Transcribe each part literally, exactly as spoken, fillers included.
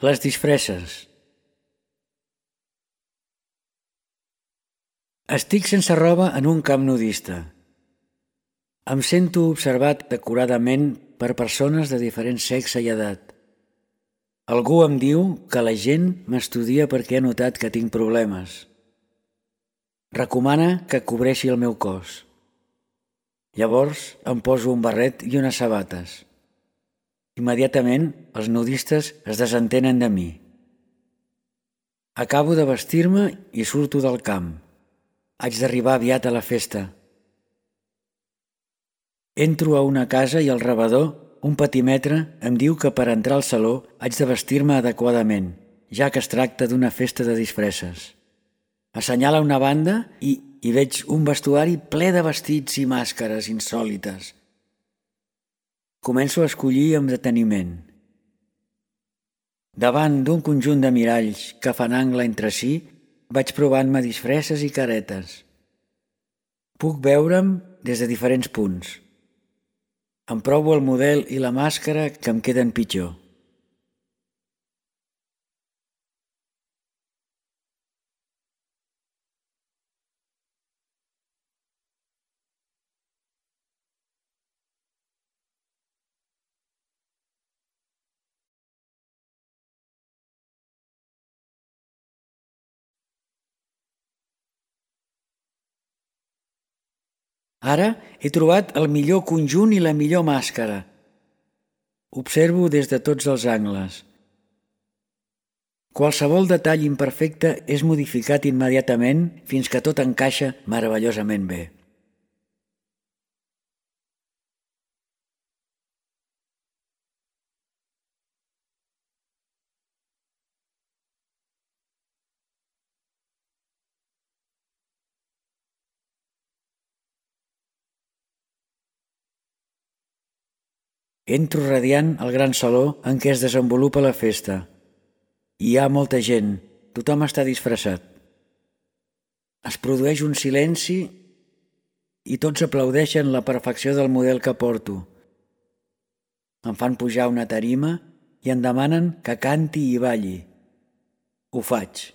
Les disfresses. Estic sense roba en un camp nudista. Em sento observat decoradament per persones de diferent sexe i edat. Algú em diu que la gent m'estudia perquè ha notat que tinc problemes. Recomana que cobreixi el meu cos. Llavors em poso un barret i unes sabates. Immediatament els nudistes es desentenen de mi. Acabo de vestir-me i surto del camp. Haig d'arribar aviat a la festa. Entro a una casa i el rebedor, un petimetre, em diu que per entrar al saló haig de vestir-me adequadament, ja que es tracta d'una festa de disfresses. Assenyala una banda i hi veig un vestuari ple de vestits i màscares insòlites. Començo a escollir amb deteniment. Davant d'un conjunt de miralls que fan angle entre si, vaig provant-me disfresses i caretes. Puc veure'm des de diferents punts. Em provo el model i la màscara que em queden pitjor. Ara he trobat el millor conjunt i la millor màscara. Observo des de tots els angles. Qualsevol detall imperfecte és modificat immediatament fins que tot encaixa meravellosament bé. Entro radiant al gran saló en què es desenvolupa la festa. Hi ha molta gent, tothom està disfressat. Es produeix un silenci i tots aplaudeixen la perfecció del model que porto. Em fan pujar a una tarima i em demanen que canti i balli. Ho faig.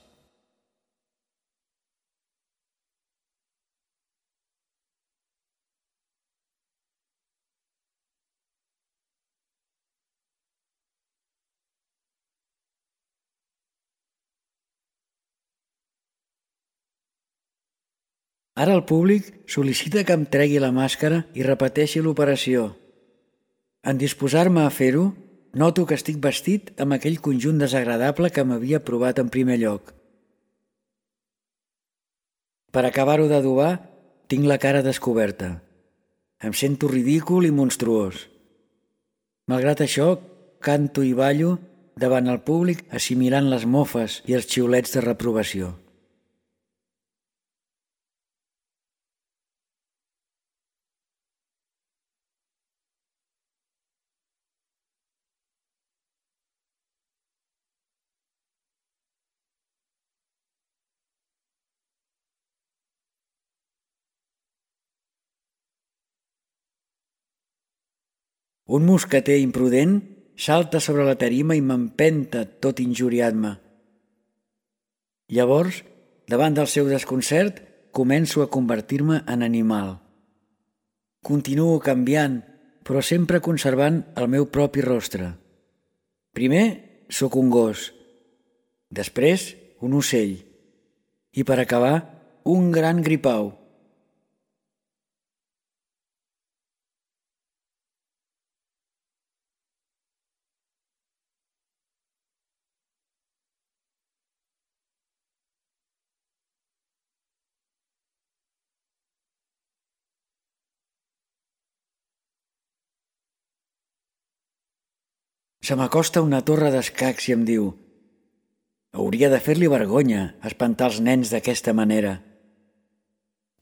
Ara el públic sol·licita que em tregui la màscara i repeteixi l'operació. En disposar-me a fer-ho, noto que estic vestit amb aquell conjunt desagradable que m'havia provat en primer lloc. Per acabar-ho d'adobar, tinc la cara descoberta. Em sento ridícul i monstruós. Malgrat això, canto i ballo davant el públic assimilant les mofes i els xiulets de reprovació. Un mosqueter imprudent salta sobre la tarima i m'empenta tot injuriant-me. Llavors, davant del seu desconcert, començo a convertir-me en animal. Continuo canviant, però sempre conservant el meu propi rostre. Primer sóc un gos, després un ocell i per acabar un gran gripau. Se m'acosta una torre d'escacs i em diu: hauria de fer-li vergonya espantar els nens d'aquesta manera.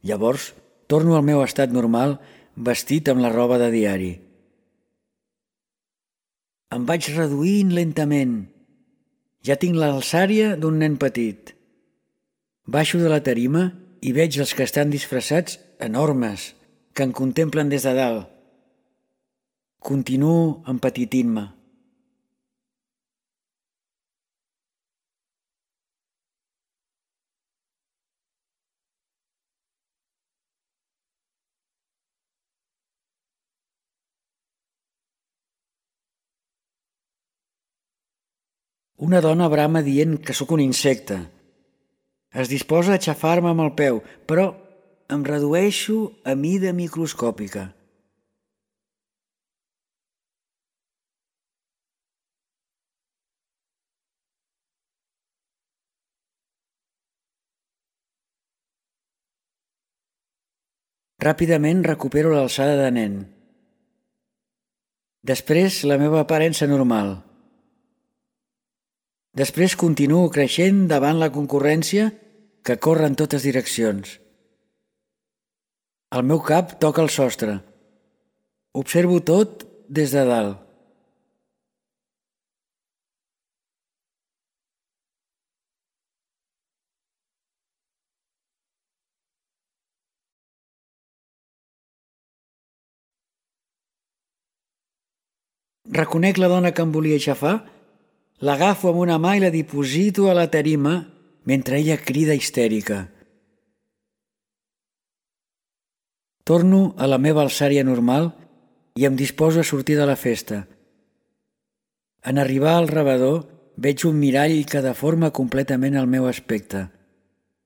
Llavors torno al meu estat normal vestit amb la roba de diari. Em vaig reduint lentament. Ja tinc l'alçària d'un nen petit. Baixo de la tarima i veig els que estan disfressats enormes, que em contemplen des de dalt. Continuo empetitint-me. Una dona brama dient que sóc un insecte. Es disposa a aixafar-me amb el peu, però em redueixo a mida microscòpica. Ràpidament recupero l'alçada de nen. Després la meva aparença normal. Després continuo creixent davant la concurrència que corre en totes direccions. El meu cap toca el sostre. Observo tot des de dalt. Reconec la dona que em volia aixafar, l'agafo amb una mà i la diposito a la tarima mentre ella crida histèrica. Torno a la meva alçària normal i em disposo a sortir de la festa. En arribar al rebedor veig un mirall que deforma completament el meu aspecte.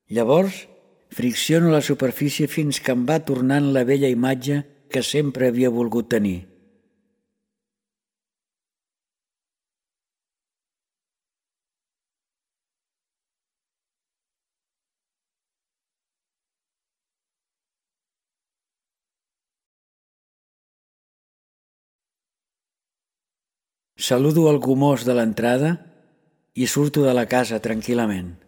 Llavors fricciono la superfície fins que em va tornant la vella imatge que sempre havia volgut tenir. Saludo el gomós de l'entrada i surto de la casa tranquil·lament.